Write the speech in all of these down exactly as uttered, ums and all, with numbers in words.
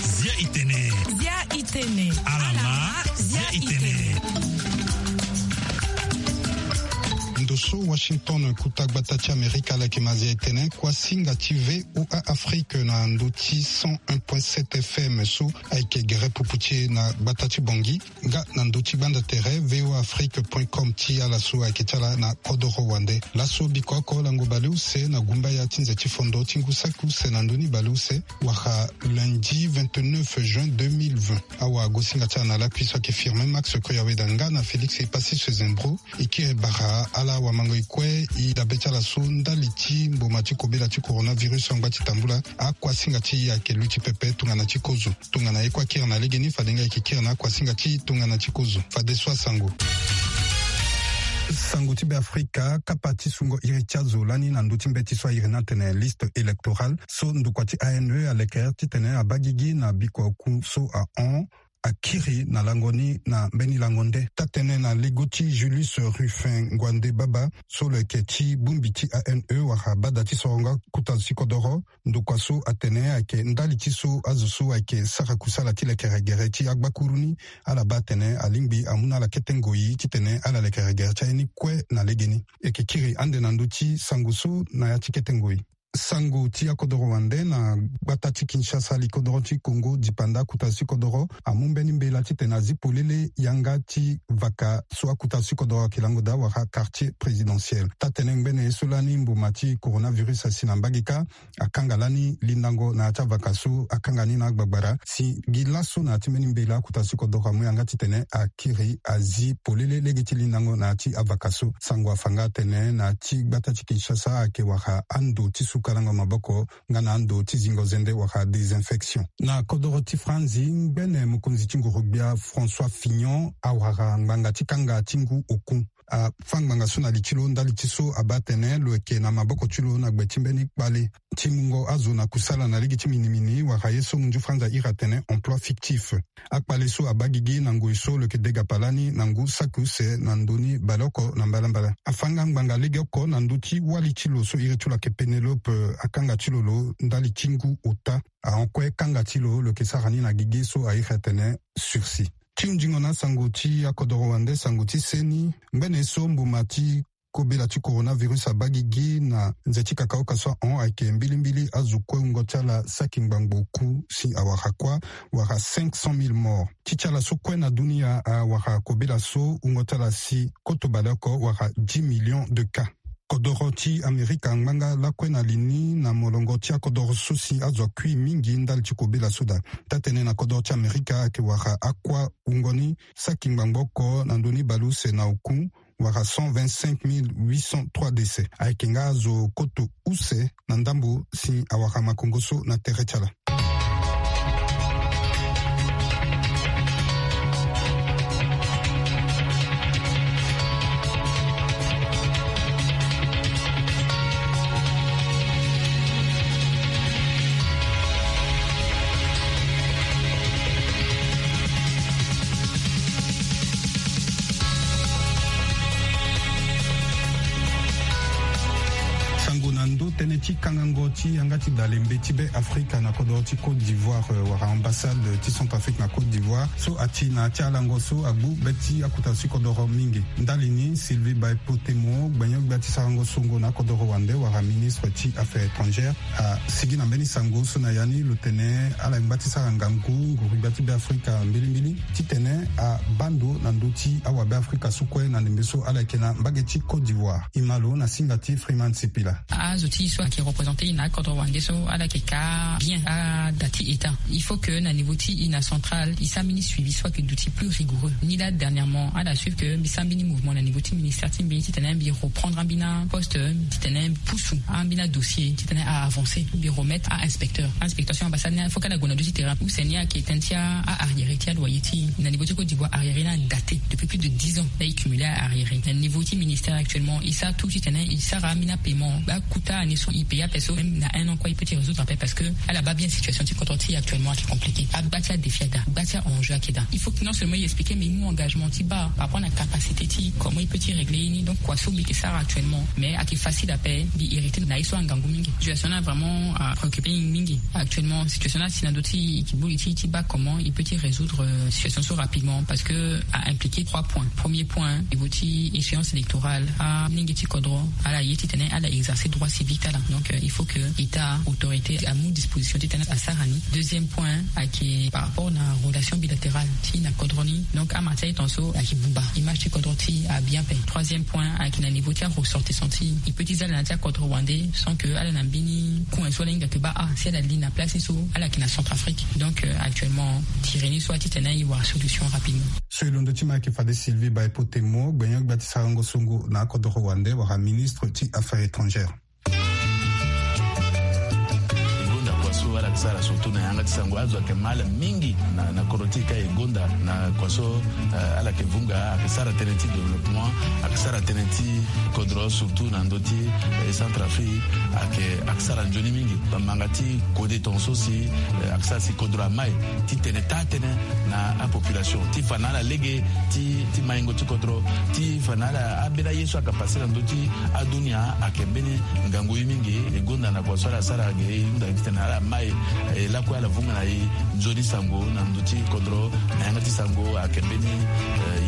Zia itene. Zia itene. Alama. Zia itene. Ndo so Washington, kuta gbata ti Amerika, ala yeke ma zia itene. Kuasinga ti V O A Afrique na ndo ti cent un point sept F M so ayeke gere pupu ti e na gbata ti Bangui. Nga na ndo ti gbanda tere V O A Afrique point com ti ala so ayeke ti ala na kodoro wande. Laso biko oko lango baleuse na gumbaya ti nze ti fondo ti ngu saki use na ndoni baleuse, wala lundi vingt-neuf juin deux mille vingt. Awagosinga ti ala na lakui so ayeke Firmin Max Koyaweda nga na Félix Epassis Sezembro. E kiri bara ala wamango e kue e dabe ti ala so ndali ti mboma ti kobela ti coronavirus angba ti tambula akuasinga ti e ayeke luti pepe tongana ti kozo. Tongana e kue akiri na legeni, fade nga e yeke kiri na akuasinga ti tongana ti kozo. Fadeso asango. Sango ti Beafrika, kapa ti sungo iri ti azo lani na ndö ti mbeti so airi ni atene liste électorale so ndokua ti A N E alekere titene abaa gigi na bikua oku so ahon akiri na lango ni na mbeni lango nde. Taa-tënë na lego ti Julius Rufin Nguande Baba so lo yeke ti bongbi ti A N E wala bada ti sorongo akuta zo ti kodoro. Ndokua so atene ayeke ndali ti so azo so ayeke sara kusala ti lekere gere ti agbakuru ni, ala baa atene alingbi amu na ala kete ngoi titene ala lekere gere ti aye ni kue na legeni. E yeke kiri ande na ndö ti sango so na ya ti kete ngoi. Sango ti akodoro wande na gbata ti Kinshasa, li kodoro ti Congo, dipanda akuta zo ti kodoro amu mbeni mbela titene azi polele yanga ti vaka so akuta zo ti kodoro ayeke lango daa wala quartier présidentiel. Taa-tënë ngbene ye so lani mboma ti coronavirus asi na mbage kâ, akanga lani lindango na ya ti avaka so akanga ni na agbagbara. Si gi laso na ya ti mbeni mbela akuta zo ti kodoro amu yanga titene akiri azi polele lege ti lindango na ya ti avaka so. Sango afa nga atene na ya ti gbata ti Kinshasa ayeke wara ando ti sukalango maboko nga na ando ti zingo zende wala désinfection. Na kodoro ti Franzi, ngbene mokonzi ti nguru-gbia François Fillon awara ngbanga ti kanga ti ngu oku. Afâ ngbanga so na li ti lo ndali ti so abaa atene lo yeke na maboko ti lo na gbe ti mbeni kpale ti mungo azo na kusala na lege ti minimini wala ye so munzu Franzi airi atene emploi fictif. Akpale so abaa gigi na ngoi so lo yeke degapa lani na ngu saki use na ndö ni baleoko na mbalambala. Afâ nga ngbanga legeoko na ndö ti wali ti lo so iri ti lo ayeke Pénélope, akanga ti lo lo ndali ti ngu ota. Ahon kue kanga ti lo lo yeke sara ni na gigi so airi atene sursis. Ti hunzingo na asango ti akodoro wande, sango ti seni, ngbene so mboma ti kobela ti coronavirus abaa gigi na nze ti kakaoka so ahon ayeke mbilimbili azo kue wungo ti ala saki ngbangbo oku si awara kuâ, wara cinq cent mille morts. Ti ti ala so kue na dunia awara kobela so wungo ti ala si koto baleoko wara dix millions de cas. Kodoro ti Amerika angba nga lakue na li ni na molongo ti akodoro so si azo akui mingi ndali ti kobela so daa. Taa-tënë na kodoro ti Amerika ayeke wara akuâ wungo ni saki ngbangbo oko na ndö ni baleuse na oku, wara cent vingt-cinq mille huit cent trois décès. Ayeke nga azo koto use na ndambo si awara makongo so na tere ti ala. Sango na ndö tënë ti kangango ti yanga ti dalembe ti Be Afrika na kodoro ti Côte d'Ivoire, euh, wala ambassade ti Centrafrique na Côte d'Ivoire, so ati na ya ti alango so agbu be ti akuta zo ti kodoro mingi. Ndali ni, Sylvie Baepotemo, gbenyo-gbia ti sarango songo na akodoro wande wala ministre ti Affaires étrangères, asigi na mbeni sango so na ya ni lo tene ala ngba ti sara ngangu nguru-gbia ti Be Afrika mbilimbili titene abaa ndo na ndö ti awa Be Afrika so kue na ndembe so ala yeke na mbage ti Côte d'Ivoire. E ma lo na singa ti Freeman Sipila. Azo ti e so ayeke représenter e na akodoro wande so ala yeke ka bien ada ti État. Il faut que na niveau ti e na central e sara mbeni suivi so ayeke duti plus rigoureux. Ni laa dernièrement ala suivre que mbi sara mbeni mouvement na niveau ti ministère ti mbi titene mbi reprendre ambeni aposte, titene mbi pusu ambeni adossier titene a avancer, mbi remettre a inspecteur. Inspecteur sur ambassade ni, il faut que ala gue na ndö ti terrain. Use ni ayeke tënë ti a arriéré ti aloyer ti e. Na niveau ti Côte d'Ivoire, arriéré ni adaté depuis plus de dix ans. Laa e cumulé a arriéré. Na niveau ti ministère actuellement e sara tout titene e sara ambeni apaiement. Akuta année so e Pays ape so même na un an kue il peut ti résoudre ape parce que ala baa bien situation ti kodro ti actuellement ake compliqué. Agba ti adéfi ada, gba ti a enjeu ake daa. Il faut que non seulement il explique mais il mu engagement ti baa par rapport na capacité ti comment il peut ti régler ye ni. Donc kua so mbi yeke sara actuellement mais ake facile ape. Mbi hérité na ye so angangu mingi. Situation na vraiment apréoccupé mingi actuellement. Situation na asi na ndö ti kibuli ti ti baa comment il peut ti résoudre situation so rapidement parce que a impliqué trois points. Premier point niveau ti échéance électorale, alenge ti kodro ala ye titene ala exercer droit civique ti ala. Donc il faut que état autorité amu disposition titene asara ni. Deuxième point ake par rapport na relation bilatérale ti na kodro ni. Donc ama ti aye ton so ake bumba image ti kodro ti abien pe. Troisième point ake na niveau ti aressortissant ti i peut ti za ala na ti akodro wande sans que ala na mbeni coin so ala hinga ke baa ah si ala li na place so ala yeke na Centrafrique. Donc actuellement tiri ni so atitene i wara solution rapidement. So e londo ti ma ayeke fade Sylvie Baepo Temo gbenyo-gbia ti sarango songo na akodoro wande wala ministre ti affaires étrangères. E gonda kua so ala yeke sara surtout na yanga ti sango azo ayeke ma ala mingi na na kodro ti e ka e gonda na kua so ala yeke vunga ayeke sara tënë ti développement ayeke sara tënë ti kodro surtout na ndö ti Centrafrique ayeke ayeke sara nzoni mingi. Bamanga ti kode ton so si ayeke sara si kodro amai ti tene taa tënë na apopulation ti fa na ala lege ti ti maingo ti kodro ti fa na ala ambeni aye so ayeke pase na ndö ti adunia ayeke mbeni ngangu ye mingi. E gonda na kua so ala sara ge e hunda titene ala mai e lakue ala vunga na e nzoni sango na ndö ti kodro na yanga ti sango ayeke mbeni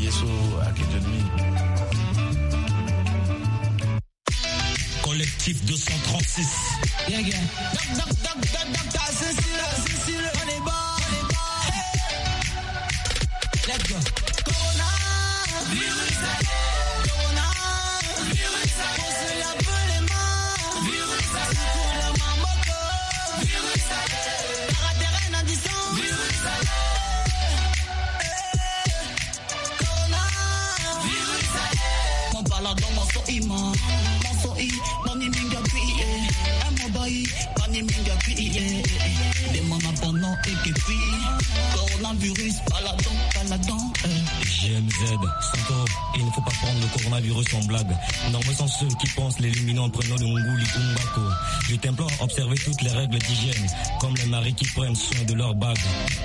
ye so ayeke nzoni mingi. Collectif deux cent trente-six. G M Z, Santoro, il ne faut pas prendre le coronavirus en blague. Nombreux sont ceux qui pensent l'éliminer en prenant le nguli ou mbako. Je t'implore à observer toutes les règles d'hygiène, comme les maris qui prennent soin de leur bague.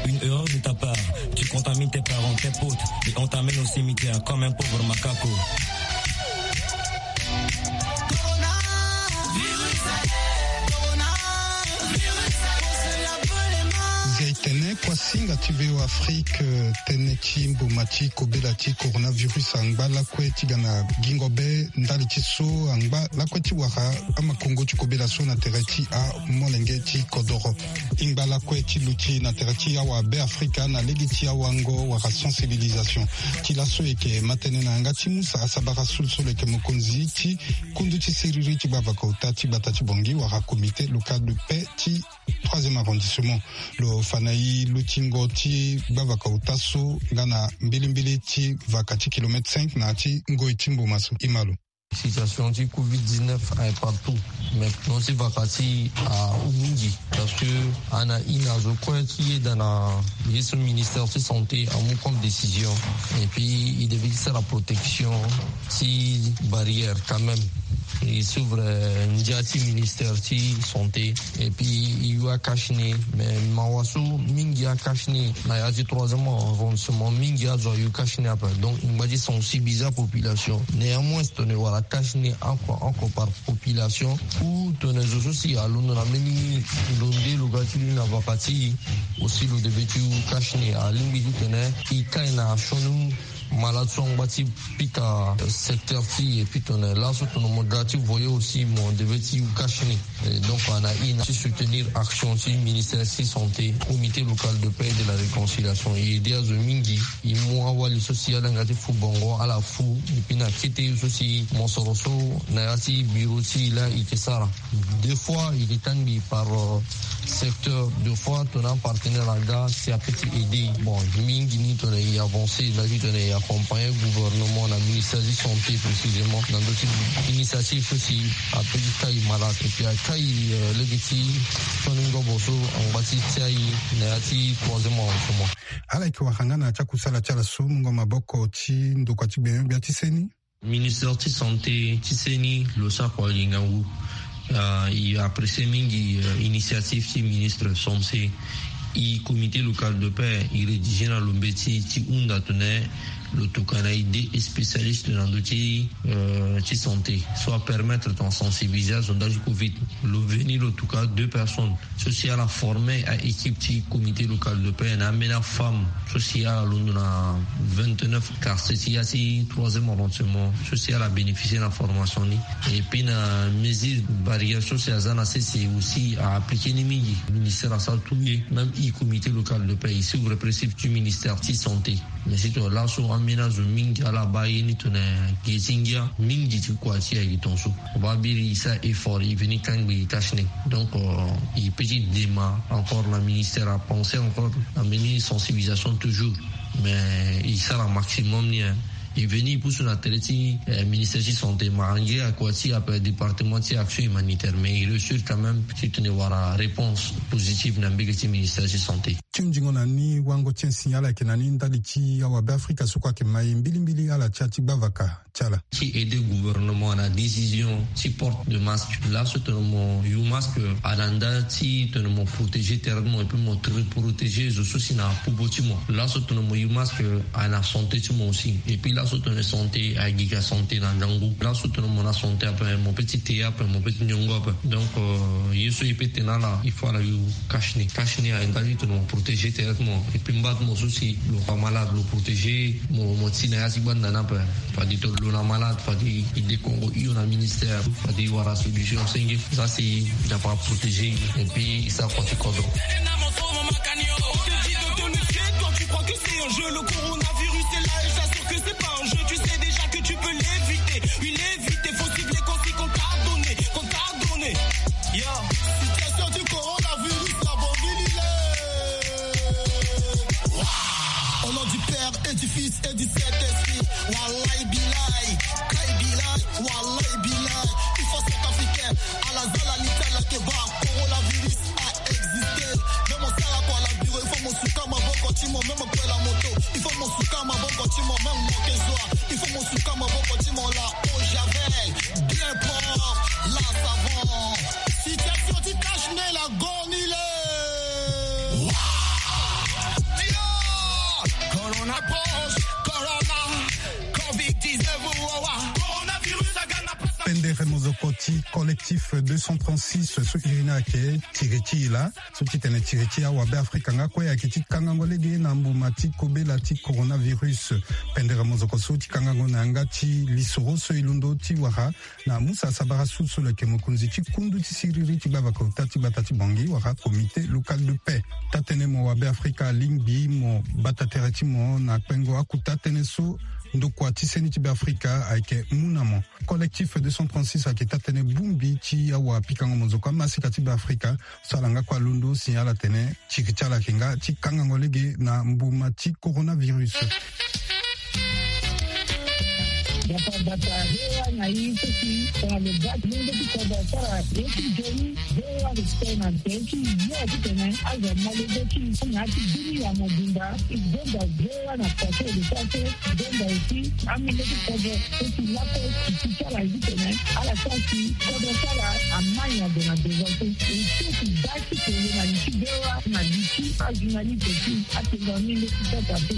Une erreur de ta part, tu contamines tes parents, tes potes, et on t'amène au cimetière comme un pauvre macaco. Nzia e tene kuasinga ti V O Afrique, tënë ti mboma ti kobela ti coronavirus angba lakue ti ga na gingo be ndali ti so angba lakue ti wara amakongo ti kobela so na tere ti amolenge ti kodoro. E ngba lakue ti luti na tere ti awabe afrika na lege ti awango wala sensibilisation. Ti laso e yeke ma tënë na yanga ti mu sara sabara so lo so lo yeke mokonzi ti kundu ti siriri ti gbavaka ota ti gbata ti Bangui wala comité local de paix ti troisième arrondissement. Lo fa na e lutingo ti gbavaka ota so nga na mbilimbili ti vaka ti kilomètre cinq na ya ti ngoi ti mboma so. E ma lo. Situation ti covid dix-neuf aye partout. Mais non si vaka ti ahou mingi parce que ana ina zo kue ti yeda na ye so ministère ti santé amu comme décision. Et puis il devait ti sara protection ti barrière quand même. Il s'ouvre ndia ti ministère ti santé. Et puis e yu akash ni. Mais mawa so mingi akash ni na ya ti troisième arrondissement mingi azo ayu kash ni ape. Donc e ngba ti sensibiliser apopulation. Néanmoins tongana e wara kash ni oko oko par population ou tongana zo so si alondo na mbeni lo nde lo ga ti lu na vaka ti e. Aussi lo devait ti yu kash ni alingbi ti tene e kai na asioni malade so angba ti pika secteur ti e. Puis tongana laso tongana mo ga ti voyer aussi mo devait ti yu kash ni. Donc ana ina ti soutenir action ti ministère ti santé, comité local de paix et de la réconciliation e aidé azo mingi. E mu awali so si ala yanga ti fu bongo ala fu. Et puis na kete so si mosoro so na ya ti bureau ti e laa e yeke sara. Deux fois e yeke tangbi par secteur. Deux fois tongana apartenaire aga si ape ti aidé e. Bon mingi ni tongana e avancé nda ti tongana e accompagner gouvernement na ministère ti santé précisément na ndö ti initiative so si ape ti kai malade et puis akai lege ti sioni ngobo so angba ti tia e na ya ti troisième arrondissement. Ala yeke wara nga na ya ti akusala ti ala so mungo maboko ti ndokua ti gbenyo-gbia ti seni. Ministère ti santé ti seni lo sara kua gi ngangu. Euh, e apprécier mingi, euh, initiative ti ministre Somse. E comité local de paix e rédiger na lo mbeti ti hunda tene lo tokua na e deux spécialistes na ndö ti, euh, ti santé, so apermettre tongana sensibiliser azondage covid. Lo veni lo tokua deux personnes so si ala former a équipe ti comité local de paix na ambeni afemme so si ala londo na vingt-neuf quartier ti ya ti troisième arrondissement so si ala bénéficier na formation ni. Et puis na mesure barrière so si aza na sese aussi a appliquer ni mingi. Ministère asara tout ye, même e comité local de paix e suivre principe ti ministère ti santé. Mais surtout laso ambeni azo mingi ala baa ye ni tongana gi ti ngia mingi ti kua ti ayeke tongaso. Baa biri e sara effort e veni kangbi e tâche ni. Donc, euh, e peut ti dema encore na ministère apenser encore na mbeni sensibilisation toujours. Mais e sara maximum ni, hein. E veni e pusu na tere ti, eh, ministère ti santé, ma ange akua ti ape département ti action humanitaire, mais e réussir quand même ti tene wara réponse positive na mbege ti ministère ti santé. Ti hunzingo na ni wango ti e si ala yeke na ni ndali ti awabe afrika so kue ayeke ma e mbilimbili ala tia ti gbavaka ti ala. Ti aider gouvernement na décision ti porte de masque. Laso tene mo yu masque, a na nda ti tene mo protéger tere ti mo et puis mo protéger zo so si na popo ti mo. Laso tene mo yu masque, a na santé ti mo aussi. Et puis laso tene santé, a gi ka santé na ndangu. Laso tene mo na santé ape, mo peut ti te ape, mo peut ti nyongo ape. Donc, euh, ye so e peut tene ala, il faut ala yu cache-nez. Cache-nez a nda ti tene mo protéger tere ti mo. Et puis mba ti mo so si lo fa malade, lo protéger mo, mo ti na ya ti gbanda ni ape. Fade tene lo na malade, fade e dekongo hio na ministère, fade e wara solution senge. Ça c'est, e na fa protéger. Et puis e sara kua ti kodro. Toi, tu crois que c'est un jeu, le coronavirus est là et j'assure que c'est pas un jeu. Tu sais déjà que tu peux l'éviter. Il est évité, faut cibler quand c'est qu'on t'a donné, qu'on t'a donné. Yo, situation du coronavirus, la bonne ville, il est. Waouh. Au nom du Père et du Fils et du Saint-Esprit. Wallahi billahi, kai billahi, wallahi billahi. Il faut centrafricain, à la zala l'Italie, que va, coronavirus a existé. Même au Sarako, à la bureau, il faut mon soukama, bon, quand il m'a même pris la moto. Il faut mon soukama, bon, quand il m'a même manqué joie. Il faut mon soukama, bon, quand il m'a là, au javel, bien propre, là, savon. Situation du cache-nez, la gonile. Corona proche, corona, covid dix-neuf, wawa. Coronavirus, agana pasa. Pendere mozoko ti collectif deux cent trente-six, so iri ni ayeke tiri ti e laa. So ti tene tiri ti awabe afrika nga kue ayeke ti kangango lege na mbuma ti kobela ti coronavirus. Pendere mozoko so ti kangango na yanga ti lisoro so e londo ti wara na musa sabara su so lo yeke mokonzi ti kundu ti siriri ti gbavaka ota ti gbata ti Bangui wala comité local de paix. Taa-tënë mo wabe afrika alingbi mo bata tere ti mo na kpengo akuta tënë so ndokua ti seni ti Beafrika ayeke mu na mo. Collectif deux cent trente-six ayeke taa-tënë bongbi ti awapikango mozoko amasika ti Beafrika so ala nga kue alondo si ala tene tiri ti ala ayeke nga ti kangango lege na mbuma ti coronavirus. Bata bata, V O A na i so si tongana lo baa ti lenge ti kodro asara ye ti nzoni, V O A respect na nze ti yo titene azo ama lege ti na ya ti bini ya mobimba. E gonda V O A na pase de pase, gonda aussi amolenge ti kodro so si lakue ti ti ti ala titene ala sara si kodro ti ala ama nyango na devant so. E so si baa ti tene na li ti V O A na li ti ajournaliste ti atene na mbi nde ti tata mpe.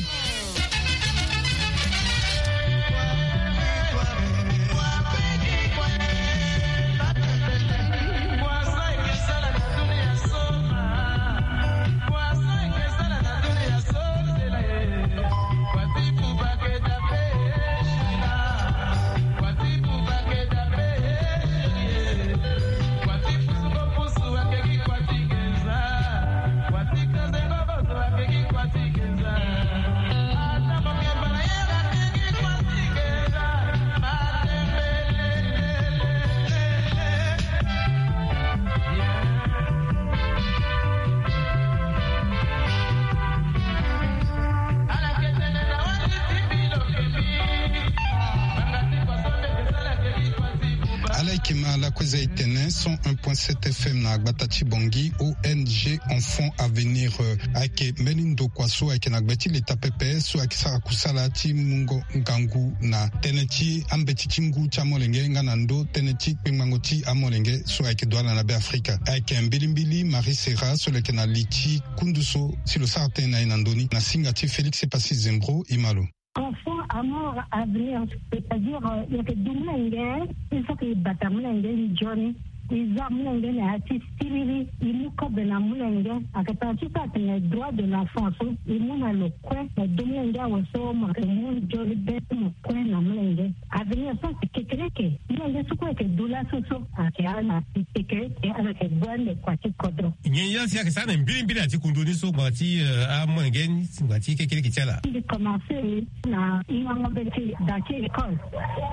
Kima lakue za etene cent un point sept F M na gbata ti Bangui. O N G Enfant Avenir, euh, ayeke mbeni ndokua so ayeke na gbe ti leta pepe so ayeke sara kusala ti mungo ngangu na tënë ti ambeti ti ngu ti amolenge nga na ndö tënë ti kpengbango ti amolenge so ayeke duala na Beafrika. Ayeke mbilimbili Marie Serra so lo yeke na li ti kundu so si lo sara tënë na e na ndö ni na singa ti Félix Epassi Zembro. Imalo. Enfant amour avenir, c'est-à-dire, euh, yeke du molenge, il faut que i bata molenge nzoni, i za molenge na ya ti siriri, i mu kobe na molenge. Ayeke tara ti so atene droit de l'enfant so i mu na lo kue na du molenge awe so mo yeke mu nzoni be ti mo kue na molenge. Avenir so ayeke kekereke. Molenge so kue ayeke du laso so ayeke ala na kekereke, ala yeke gue ande kua ti kodro. Nyen ya si ayeke sara na mbilimbili na ti kundu ni so ngbanga ti, euh, amolenge ni ngbanga ti kekereke ti ala? Mbi commencé na hingango mbeti da ti école.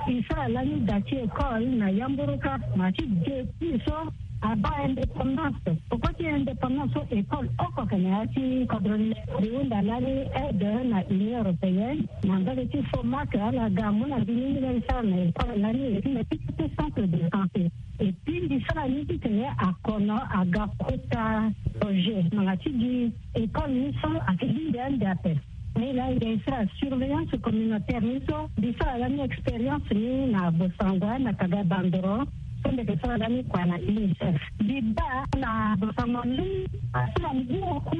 I sara lani da ti école na yamboroka, ma ti depuis so abaa indépendance. Poko ti indépendance so école oko ayeke na ya ti kodro ni. Mbi hunda lani aide na Union européenne na mbage ti FOMAC, ala ga amu na mbi ni, mbi lani sara na école lani, et puis na ti ti centre de santé. Et puis mbi sara ni titene akono aga kota projet ngbanga ti gi école ni so ayeke lingbi ande ape. Ni laa e ga e sara surveillance communautaire ni so, mbi sara lani expérience ni na Bossangoa na Kaga Bandoro, so mbi yeke sara lani kua na UNICEF. Mbi baa na Bossangoa ni asara ngu oku,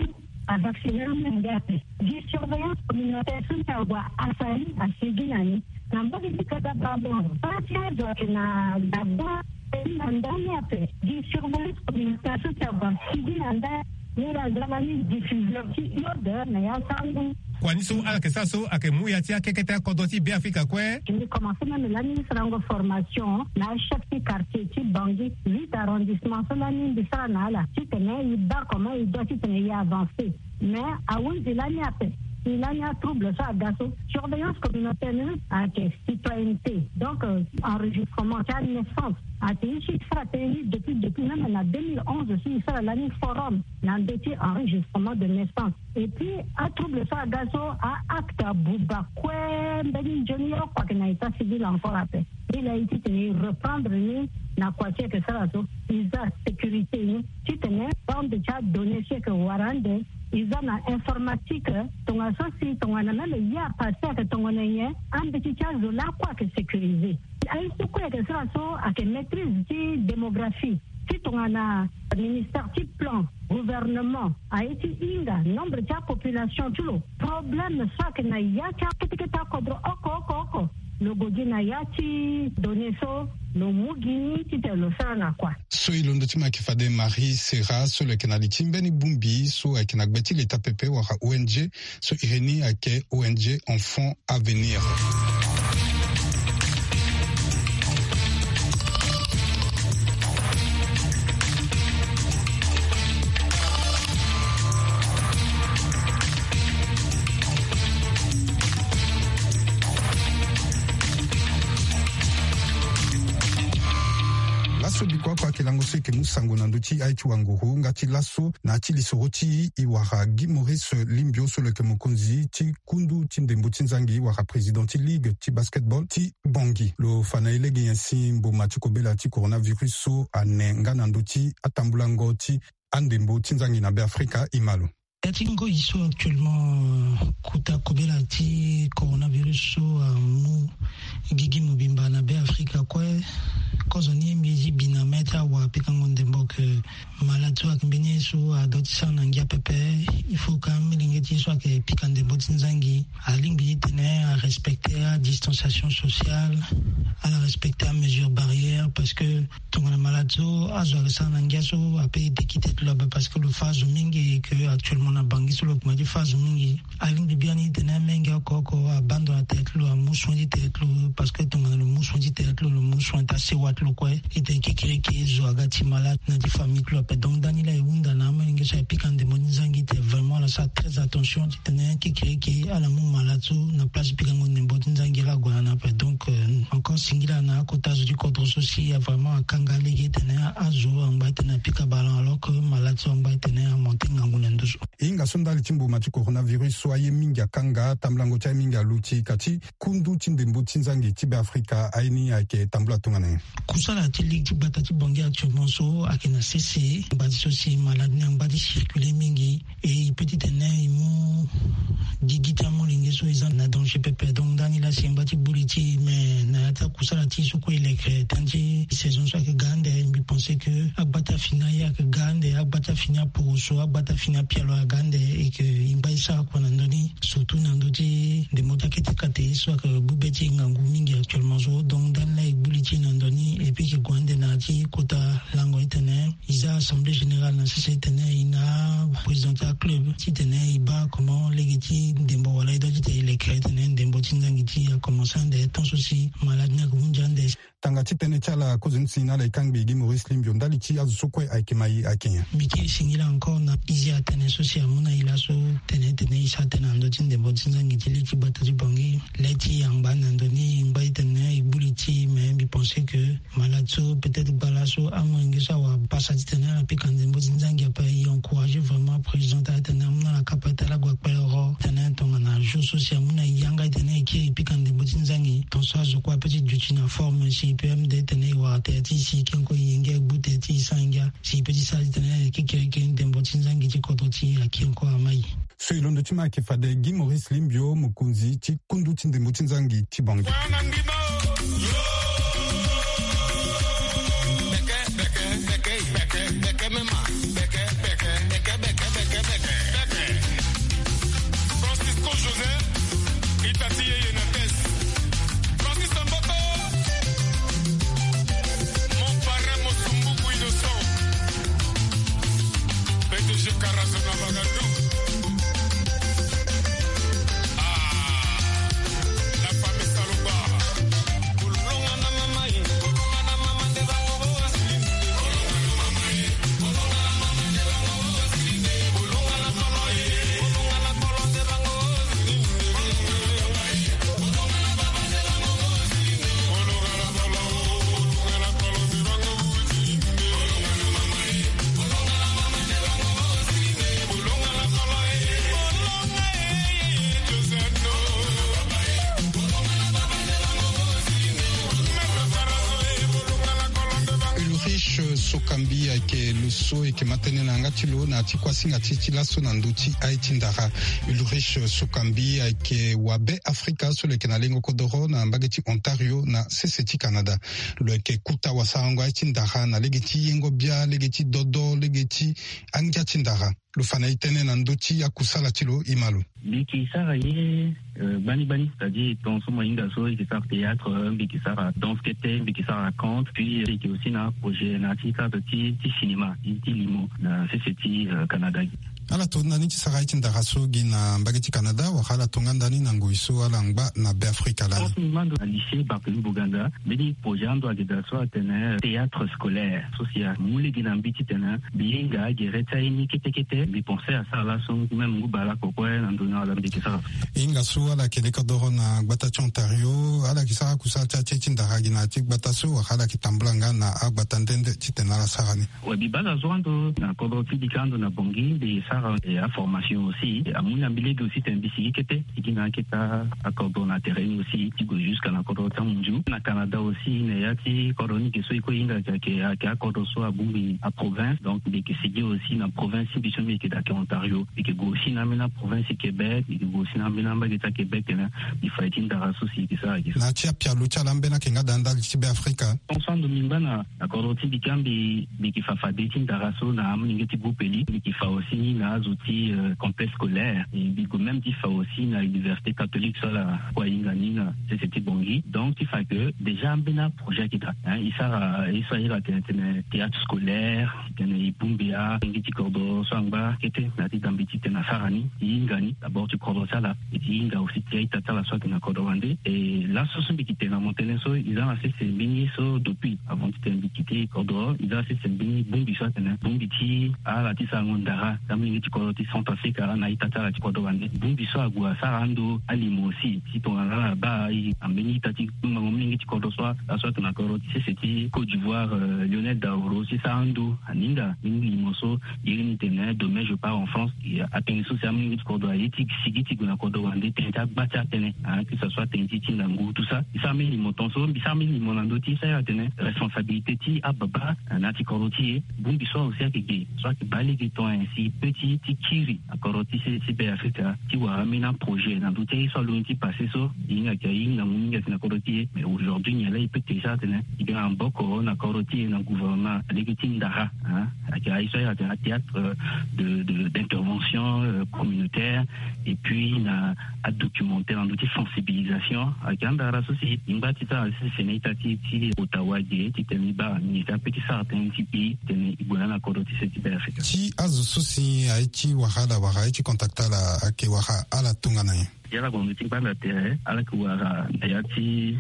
avacciner amolenge ape. Gi surveillance communautaire so ti ague asara ni asigi na ni. Na mbage ti Kaga Bandoro, baa ti azo ayeke na gbagba, e na ndani ape. Gi surveillance communautaire so ti ague asigi na ndani. Ni la za lani diffusion ti iode na ya sango. Kua ni so ala yeke sara so ayeke mu ya ti akekete akodro ti Beafrika kue. Mbi commencé même lani sarango formation na achef ti quartier ti Bangui, huit arrondissement so lani mbi sara na ala titene e baa comment e doit titene e avancer. Mais ahunzi lani ape, si lani atrouble so aga so, surveillance communautaire ni ayeke citoyenneté. Donc, euh, enregistrement ti anaissance. Ayeke ye so e sara tënë ni depuis, depuis même na deux mille onze so e sara lani forum na ndö ti enregistrement de naissance. Et puis atrouble so aga so, a acte abuba kue mbeni nzoni oko ayeke na état civil encore ape. Ni laa e titene e reprendre ni na kua ti e yeke sara so, e za sécurité ni titene bande ti adonnée so e yeke wara ande, e za na informatique. Tongana so si tongana même ye apassé ayeke tongana nyen, ambeti ti azo lakue ayeke sécurisé. Aye so kue ayeke sara so ayeke maîtrise ti démographie. Ti tongana ministère ti plan, gouvernement, aye ti hinga nombre ti apopulation ti lo, problème so ayeke na ya ti akete kete akodro oko oko oko, lo gue gi na ya ti données so, lo mu gi ni titene lo sara na kua. So e londo ti mo ayeke fade Marie Serra so lo yeke na li ti mbeni bongbi so ayeke na gbe ti leta pepe wala O N G, so iri ni ayeke O N G Enfant Avenir. Laso bikua oko ayeke lango so e yeke mu sango na ndö ti aye ti wanguru nga ti laso na ya ti lisoro ti e wara Guy Maurice Limbio so lo yeke mokonzi ti kundu ti ndembo ti nzangi wala président ti ligue ti basketball ti Bangui. Lo fa na e lege nyen si mboma ti kobela ti coronavirus so ane nga na ndö ti atambulango ti andembo ti nzangi na Beafrika. Imalo. Ya ti ngoi so actuellement, euh, kota kobela ti coronavirus so amu gigi mobimba na Beafrika kue. Kozo ni mbi ye ti bi na mê ti awa pikango ndembo ke malade so ayeke mbeni ye so adoit ti sara na ngia pepe. Il faut ka amolenge ti ye so ayeke pika ndembo ti nzangi alingbi titene arespecter adistanciation sociale, ala respecter amesure barrière, parce que tongana malade so azo ayeke sara na ngia so ape e deki tete lo ape, parce que lo fa azo mingi, ke actuellement na Bangui so lo kuma ti fa azo mingi. Alingbi biani titene amenge oko oko abandon atene ti lo, amu soin ti tene ti lo, parce que tongana lo mu soin ti tene ti lo, lo mu soin ti asewa ti lo kue. Titene kekereke zo aga ti malade na ti famille ti lo ape. Donc ndani laa e hunda na amolenge so aye pika ndembo ti nzangi titene vraiment ala sara très attention titene kekereke ala mu malade so na place pikango ndembo ti nzangi ala gue na ni ape. Donc, euh, encore Singila na akota zo ti kodro so si a vraiment akanga lege titene azo angba titene apika ballon, alors que malade so angba titene amonte ngangu na nduzu. E hinga so ndali ti mbuma ti coronavirus so aye mingi akanga, tambulango ti aye mingi aluti, ka ti kundu ti ndembo ti nzangi ti Beafrika aye ni ayeke tambula tongana nyen? Kusala ti ligue ti gbata ti Bangui actuellement so ayeke na sese, ngba ti so si malade ni angba ti circuler mingi. E e peut titene e mu gigi ti amolenge so e za na danger pepe. Donc ndani laa si e ngba ti gbu li ti e, mais na ya ti akusala ti e so kue e leke tënë ti saison so ayeke ga ande, mbi pense que agbata fini aye ayeke ga ande, agbata fini aporoso, agbata fini apialo aga ande, et que e ngba e sara kua na ndö ni, surtout na ndö ti ndembo ti akete kate ye so ayeke gbu be ti e ngangu mingi actuellement so. Donc ndani laa e gbu li ti e na ndö ni, et puis e ke gue ande na ya ti kota lango titene e za assemblée générale na sese titene e na président ti aclub titene e baa comment lege ti ndembo wala e doit titene e leke titene ndembo ti nzangi ti e akomanse ande tant so si malade ni ayeke hunzi ande. Tanga ti tënë ti ala kozoni si na ala e kangbi Guy Maurice Limbio ndali ti azo so kue ayeke ma e ayeke nyen? Mbi kiri singila encore na e zi atënë so si amu na e laso titene titene e sara tënë na ndö ti ndembo ti nzangi ti lege ti gbata ti Bangui. Le ti e angba na ndö ni e ngba titene e gbu li ti e, mais mbi pense que malade so peut-être gbala so amolenge so awara pasa titene ala pika ndembo ti nzangi ape. E encourager vraiment président ti ala titene amu na ala kapa ti ala gue akpele ro titene tongana jour so si amu na e yanga titene e kiri e pika ndembo ti nzangi, tongaso azo kue ape ti duti na forme si e peut même de titene e wara tere ti e si e kiri encore e yengia e gbu tere ti e sans yengia si e peut ti sara titene e kiri kiri ndembo ti nzangi ti kodro ti e akiri encore ama e. So e londo ti ma ayeke fade Guy Maurice Limbio, mokonzi ti kundu ti ndembo ti nzangi ti Bangui. Francisco Joseph, Itati Yeye Nates, Francis Amboto, mon parrain Mosumbuku Innocent, P D G Karazo na Bagandou. Ah, la famille Saloba. Ulrich Sokambi ayeke lo so e yeke ma tënë na yanga ti lo na ya ti kuasinga ti e ti laso na ndö ti aye ti ndara. Ulrich Sokambi ayeke wabe Afrika so lo yeke na lengo kodoro na mbage ti Ontario na sese ti Canada. Lo yeke kuta wasarango aye ti ndara na lege ti yengo bia, lege ti dodo, lege ti angia ti ndara. Lo fa na e tënë na ndö ti akusala ti lo, e ma lo. Mbi yeke sara ye, euh, gbani gbani, c'est-à-dire tongaso mo hinga so e yeke sara théâtre, mbi yeke sara danse kete, mbi yeke sara conte, puis, euh, e yeke aussi na projet na ya ti cadre ti, ti cinéma, ti, ti limo na sese ti, euh, Canada. Ala to ndani ti sara aye ti ndara so gi na mbage ti Canada, wala ala to nga ndani na ngoi so ala ngba na Beafrika lani? Tongaso mbi ma ndo na lycée Barthélemy Boganda, mbeni projet ando ayeke daa so atene théâtre scolaire. So si amu lege na mbi titene mbi hinga gere ti aye ni kete kete. Mbi pense asara laso même ngu bale oko kue na ndo ni ala mbi yeke sara. E hinga so ala yeke leke doro na gbata ti Ontario, ala yeke sara kusala ti aye ti ndara gi na ya ti gbata so, wala ala yeke tambula nga na agbata nde nde titene ala sara ni? Ouais, mbi baa na zo ando na kodro ti mbi ka ando na Bangui, mbi sara, eh, aformation aussi. Amu na mbi lege aussi titene mbi sigi kete, sigi na akete akodro na terrain aussi, ti gue jusqu'à na kodro ti amunzu. Na Canada aussi, na ya ti kodro ni ge so e kue e hinga ayeke, ayeke akodro so abongbi aprovince. Donc mbi yeke sigi aussi na province ti mbi so mbi yeke daa ayeke Ontario. Mbi yeke gue aussi na ambeni aprovince ti Québec, mbi yeke gue aussi na ambeni ambage ti aQuébec tene mbi fa ye ti ndara so si e yeke sara ayeke. Na ya ti apialo ti ala ambeni ayeke nga daa ndali ti Beafrika? Tongaso ando mbi ngba na na kodro ti mbi ka mbi, mbi yeke fa fade ti ndara so na amolenge ti groupe Eli. Mbi yeke fa aussi ni na azo ti, euh, complexe scolaire. E mbi gue même ti fa aussi na université catholique so ala kue ahinga ni na sese ti Bangui. Donc ti fa que déjà ambeni aprojet ayeke daa, hein, e sara, e so ahiri atene, tene théâtre scolaire, tene e bongbi amolenge ti kodro so angba kete na ya ti dambe titene asara ni, e hinga ni. D'abord ti kodro ti ala, e ti hinga aussi ti a-ita ti ala so ayeke na kodro wande. E laso so mbi yeke tene na mo tënë so, e za na sese mbeni ye so depuis avant titene mbi kite kodro, e za na sese mbeni bongbi so atene bongbi ti ala ti sarango ndara ti amolenge ti kodro ti Centrafrique na ita ti ala ti kodro wande. Bongbi so ague asara ando alimo aussi ti tongana ala baa e ambeni ita ti kpengbango molenge ti kodro so, aso atene na kodro ti sese ti Côte d'Ivoire, euh, Lionel Daoro si sara ando aninga mbeni limo so. Iri ni tene demain je pars en France. Atënë so si amolenge ti kodro aye ti sigi ti gue na kodro wande tënë ti agba ti atënë, ah, que ça soit tënë ti ti ndangu tout ça. E sara mbeni limo ton so, e sara mbeni limo na ndö ti e, e sara atene responsabilité ti ababa na ti kodro ti e. Bongbi so aussi ayeke ge so ayeke baa lege ton, ainsi peut ti ti kiri na kodro ti se ti Be Afrika ti wara ambeni aprojet na ndö ti aye so alondo ti passé so. E hinga ayeke aye ngangu mingi ayeke na kodro ti e. Mais aujourd'hui nyen laa e peut ti sara atene e ga na maboko na kodro ti e na gouvernement na lege ti ndara, hein. Ayeke aye so ayeke atene athéâtre, euh, de, de, d'intervention, euh, communautaire, et puis na adocumentaire na ndö ti sensibilisation. Ayeke andara so si e ngba ti sara si sene ita ti ti Ottawa ge titene e baa nyen si ape ti sara tënë ti e titene e gue na ala na kodro ti se ti Be Afrika. Ti azo so si aye ti wara ala wala aye ti contacter ala ayeke wara ala tongana nyen? Ya ala gue na ndö ti gbanda tere, ala yeke wara na ya ti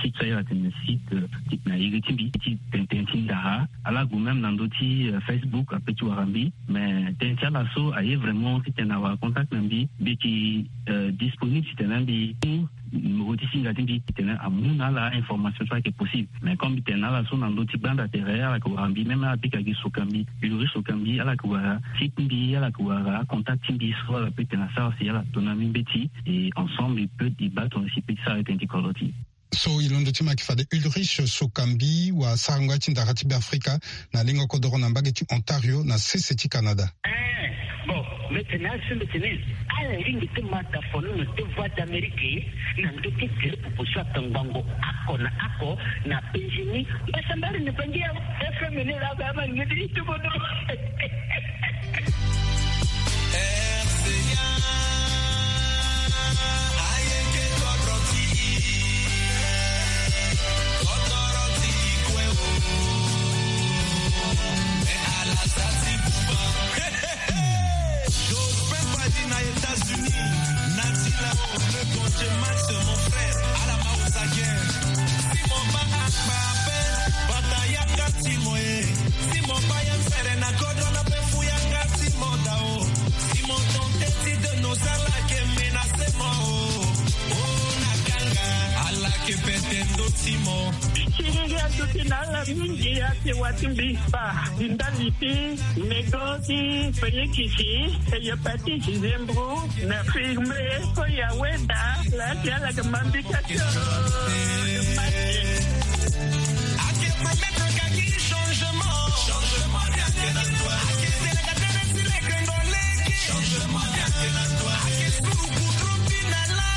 site so ayeke atene site, euh, ti na iri ti mbi ti tene tënë ti ndara. Ala gue même na ndö ti, euh, Facebook ape ti wara mbi. Mais tënë ti ala so aye vraiment titene awara contact na mbi, mbi yeke, euh, disponible titene mbi mu numéro ti singa ti mbi titene amu na ala information so ayeke possible. Mais comme mbi tene na ala so na ndö ti gbanda tere, ala yeke wara mbi, même ala bika gi Sokambi, Ulrich Sokambi, ala yeke wara site ti mbi, ala yeke wara contact ti mbi so ala peut tene asara si ala to na mbi mbeti. Et ensemble e peut e baa tongana si e peut ti sara tënë ti kodro ti e. So e londo ti mo ayeke fade Ulrich Sokambi, wasarango ya ti ndara ti Be Afrika na lengo kodoro na mbage ti Ontario na sese ti Canada. Eh, bon, mbi tene azo so mbi tene ala lingbi ti ma dafono na deux voix d'Amérique na ndö ti tere popo so atongbango oko na oko na Benjini. Mbasambari ni bangi ya F M ni la ba ma ngedi ti bodo. Jospin Badi na États-Unis, Natila, le Gonje Max, mon frère, à la Maosa Guerre. Simon Ba Akpa Ape, Batayaka Timo, eh. Simon Ba Yan Fere na Godro na Pefu Yanga Timo Dao. Simon Tonte ti de nos ala ke menacé mo, oh. Oh, na ganga, ala ke pete ndo Timo. Siriri aduti na ala mingi, ake wati mbi ba ndali ti nego ti pelekisi, hépatite, zembro, na firme, ko ya weda, la ti ala ke mambi ka ti. Ake promettre ka ki changement. Changement ni ake na toi. Ake tene ka tene si le kendo leki. Changement ni ake na toi. Ake suru kudru ti na la.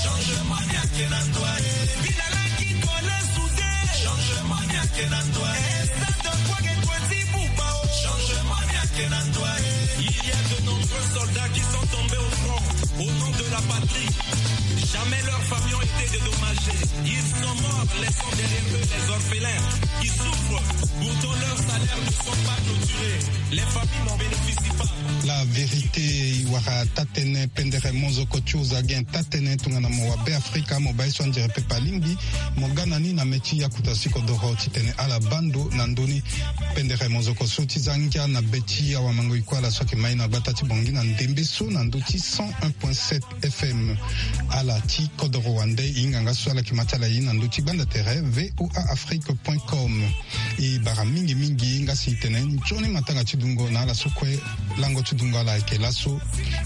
Changement ni ake na toi. Bi na la ki kole soude. Changement ni ake na toi. Stade de Kouaké Koueti Boubao. Changement ni ake na toi. Il y a de nombreux soldats qui sont tombés au front au nom de la patrie. Jamais leurs familles ont été dédommagées. Ils sont morts, laissant derrière eux les orphelins qui souffrent. Pourtant, leurs salaires ne sont pas clôturés. Les familles n'en bénéficient pas. La vérité, e wara taa-tënë pendere mozoko ti oza gen taa-tënë tongana mo wa Be Afrika, mo baa ye so anzere pepe alingbi mo ga na ni na mê ti akuta si kodoro titene ala baa ndo na ndö ni. Pendere mozoko so ti za ngia na be ti awamango-iko ala so ayeke ma ye na gbata ti Bangui na ndembe so na ndö ti cent un point sept F M. Ala ti kodoro wande, e hinga nga so ala yeke ma ti ala ye na ndö ti gbanda tere V O A Afrique point com. E bara mingi mingi nga si e tene nzoni matanga ti dungo na ala so kue lango ti dungo ala ayeke laso.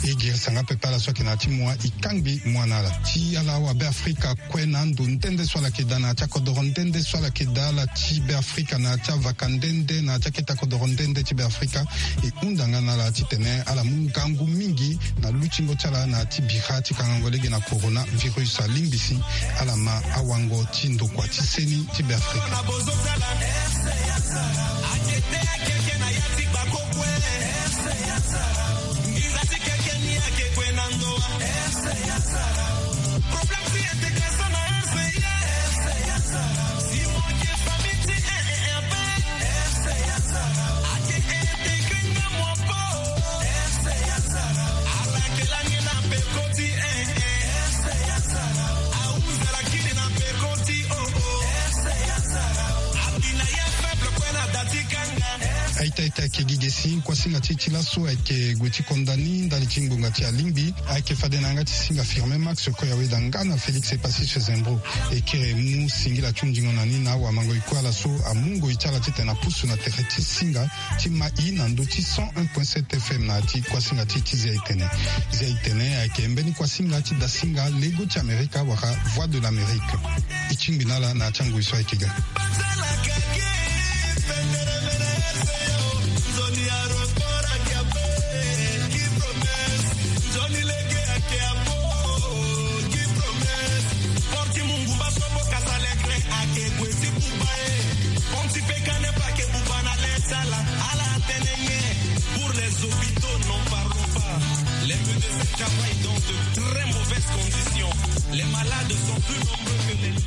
E girisa nga pepe ala so ayeke na ya ti mua, e kangbi mua na ala. Ti ala awa Be Afrika kue na ando nde nde so ala yeke daa, na ya ti akodoro nde nde so ala yeke daa, ala ti Be Afrika na ya ti avaka nde nde, na ya ti akete akodoro nde nde ti Be Afrika. E hunda nga na ala titene ala mu ngangu mingi na lutingo ti ala na ya ti bira ti kangango lege na coronavirus. Alingbi si ala ma awango ti ndokua ti seni ti Be Afrika. Aita ita ayeke gi ge si kuasinga ti e ti laso ayeke gue ti konda ni ndali ti ngbonga ti alingbi. Ayeke fade na yanga ti singa Firmin Max, Koya Weda nga na Félix Epassis Zembro. E kiri mu singila ti hunzingo na ni na awamango e kue ala so amu ngoi ti ala titene apusu na tere ti singa ti ma i na ndö ti cent un point sept F M na ya ti kuasinga ti e ti Zia Itene. Zia Itene ayeke mbeni kuasinga ti dasinga lego ti Amerika wala Voix de l'Amérique. E tingbi na ala na ya ti angoi so ayeke ga. Pour les hôpitaux, n'en parlons pas. Les médecins travaillent dans de très mauvaises conditions. Les malades sont plus nombreux que les